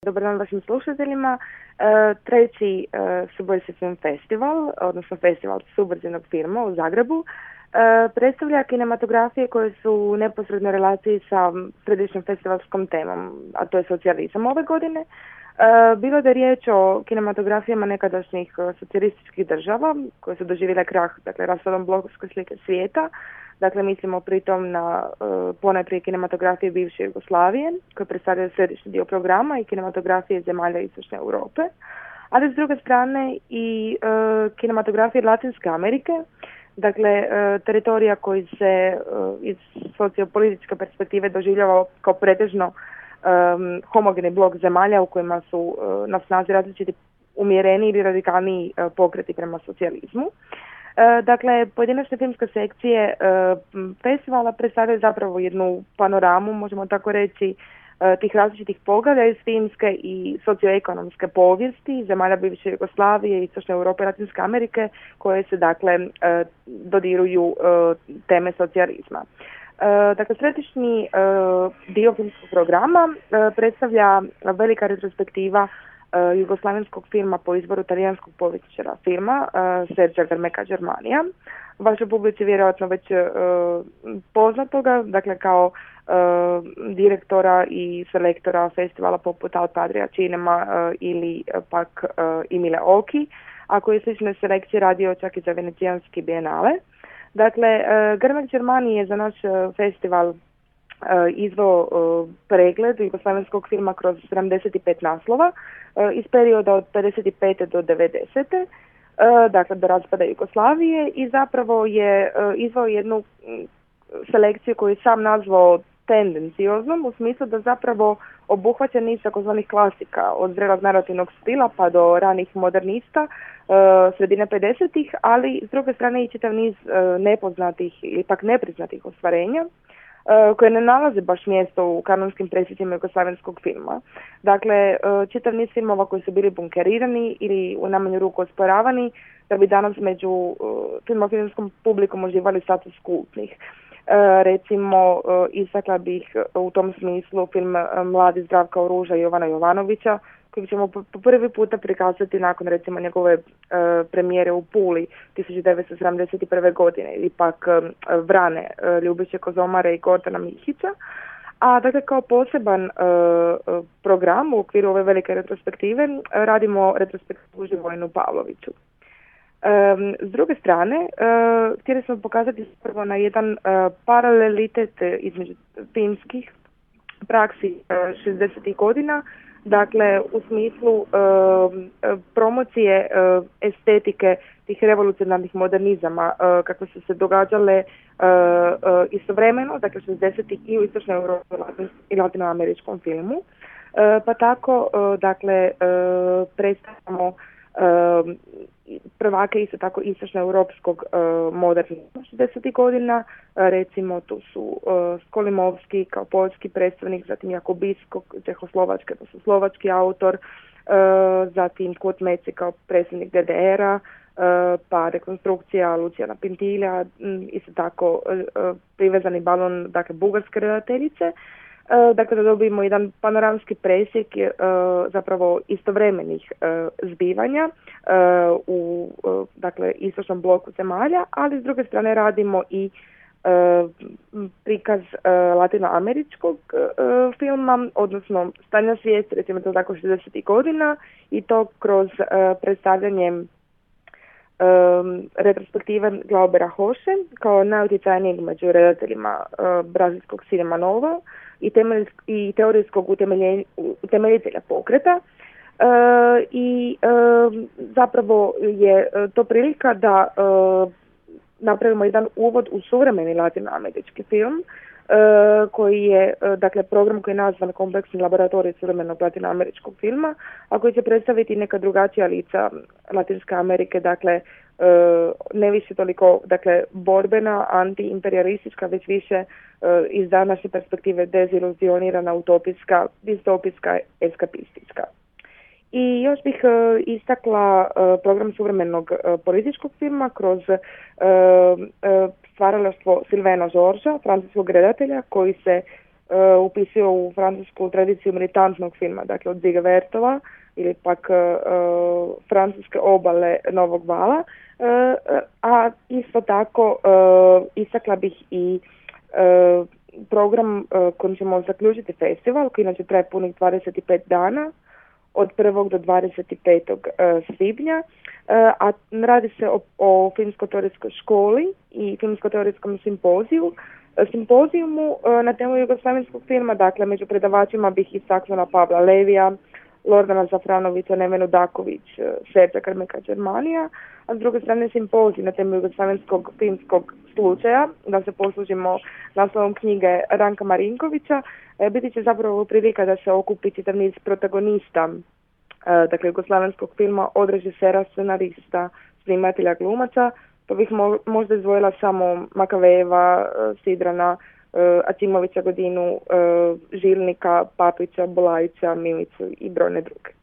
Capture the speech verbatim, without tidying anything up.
Dobar dan vašim slušateljima. E, treći e, Subotica Film Festival, odnosno festival suburzinog filma u Zagrebu, e, predstavlja kinematografije koje su u neposrednoj relaciji sa središnjom festivalskom temom, a to je socijalizam ove godine. E, bilo da je riječ o kinematografijama nekadašnjih socijalističkih država koje su doživjele krah, dakle raspadom blokovske slike svijeta. Dakle, mislimo pritom na uh, ponajprije kinematografije bivše Jugoslavije, koje predstavljaju središnji dio programa, i kinematografije zemalja Istočne Europe, ali s druge strane i uh, kinematografije Latinske Amerike, dakle uh, teritorija koji se uh, iz sociopolitičke perspektive doživljava kao pretežno um, homogeni blok zemalja u kojima su uh, na snazi različiti umjereni ili radikalniji uh, pokreti prema socijalizmu. Dakle, pojedinačne filmske sekcije festivala predstavljaju zapravo jednu panoramu, možemo tako reći, tih različitih pogleda iz filmske i socioekonomske povijesti zemalja bivše Jugoslavije, Istočne Europe i Latinske Amerike, koje se dakle dodiruju teme socijalizma. Dakle, središnji dio filmskog programa predstavlja velika retrospektiva jugoslavenskog filma po izboru talijanskog povjesničara filma uh, Sergio Garmeca Germania. Vašoj publici vjerojatno već uh, poznatoga, dakle kao uh, direktora i selektora festivala poput Al Padria Cinema uh, ili uh, pak uh, Emile Oki, a koji je slične selekcije radio čak i za Venecijanski bijenale. Dakle, uh, Garmeca Germania je za naš uh, festival Uh, izveo uh, pregled jugoslavenskog filma kroz sedamdeset pet naslova uh, iz perioda od pedeset pete do devedesete. Uh, dakle do raspada Jugoslavije, i zapravo je uh, izveo jednu um, selekciju koju je sam nazvao tendencioznom, u smislu da zapravo obuhvaća niz takozvanih klasika, od zrelog narativnog stila pa do ranih modernista uh, sredine pedesetih, ali s druge strane i čitav niz uh, nepoznatih ili pak nepriznatih ostvarenja koje ne nalaze baš mjesto u kanonskim presjecima jugoslavenskog filma. Dakle, čitav niz filmova koji su bili bunkerirani ili u najmanju ruku osporavani, da bi danas među filmofilmskom publikom uživali status kultnih. Recimo, istakla bih u tom smislu film Mladi Zdravka Oruža i Jovana Jovanovića, kojeg ćemo po prvi puta prikazati nakon recimo njegove uh, premijere u Puli tisuću devetsto sedamdeset prve. godine, ili pak uh, Vrane uh, Ljubiše Kozomare i Gordana Mihića. A dakle, kao poseban uh, program u okviru ove velike retrospektive uh, radimo retrospektivu Živojinu Pavloviću. Um, s druge strane, uh, htjeli smo pokazati prvo na jedan uh, paralelitet između filmskih praksi uh, šezdesetih godina, dakle u smislu uh, promocije uh, estetike tih revolucionarnih modernizama uh, kako su se događale uh, uh, istovremeno, dakle šezdesetih i u Istočnoj Europi i latinoameričkom filmu. Uh, pa tako, uh, dakle, uh, predstavljamo uh, prvake isto tako istočnoeuropskog uh, modernizma šezdesetih godina, uh, recimo tu su uh, Skolimovski kao poljski predstavnik, zatim Jakubisko, Čehoslovačke, to su slovački autor, uh, zatim Kurt Meci kao predstavnik D D R-a, uh, pa rekonstrukcija Lucijana Pintilja, um, isto tako uh, privezani balon, dakle bugarske redateljice. Dakle, da dobijemo jedan panoramski presjek uh, zapravo istovremenih uh, zbivanja uh, u uh, dakle, istočnom bloku zemalja, ali s druge strane radimo i uh, prikaz uh, latinoameričkog uh, filma, odnosno stanja svijesti, recimo to tako šezdesetih godina, i to kroz uh, predstavljanje Um, retrospektive Glaubera Hoše kao najutjecajnijeg među redateljima uh, brazilskog Cinema Nova i, temelj, i teorijskog utemeljitelja pokreta. Uh, I uh, zapravo je uh, to prilika da uh, napravimo jedan uvod u suvremeni latinoamerički film, Uh, koji je, uh, dakle, program koji je nazvan Kompleksni laboratorij suvremenog latinoameričkog filma, a koji će predstaviti neka drugačija lica Latinske Amerike, dakle, uh, ne više toliko, dakle, borbena, antiimperialistička, već više uh, iz današnje perspektive deziluzionirana, utopijska, distopijska, eskapistička. I još bih uh, istakla uh, program suvremenog uh, političkog filma kroz uh, uh, stvaralaštvo Silvena Žorža, francuskog redatelja, koji se uh, upisio u francusku tradiciju militantnog filma, dakle od Ziga Vertova ili pak uh, francuske obale Novog vala, uh, a isto tako uh, istakla bih i uh, program uh, kojim ćemo zaključiti festival, koji inače traje punih dvadeset pet dana, od prvog do dvadeset petog Uh, svibnja, uh, a radi se o, o filmsko-teoretskoj školi i filmsko-teoretskom simpoziju. Simpozijumu uh, na temu jugoslavenskog filma, dakle među predavačima bih istaknula Pavla Levija, Lordana Zafranovića, Nevenu Daković, uh, Serđa Krmeka Germanija, a s druge strane simpozij na temu jugoslavenskog filmskog slučaja, da se poslužimo naslovom knjige Ranka Marinkovića, e, biti će zapravo prilika da se okupi čitav niz protagonista, e, dakle jugoslavenskog filma, od režisera, scenarista, snimatelja, glumaca, pa bih mo- možda izdvojila samo Makavejeva, e, Sidrana, e, Acimovića, Godinu, e, Žilnika, Papića, Bolajića, Milicu i brojne druge.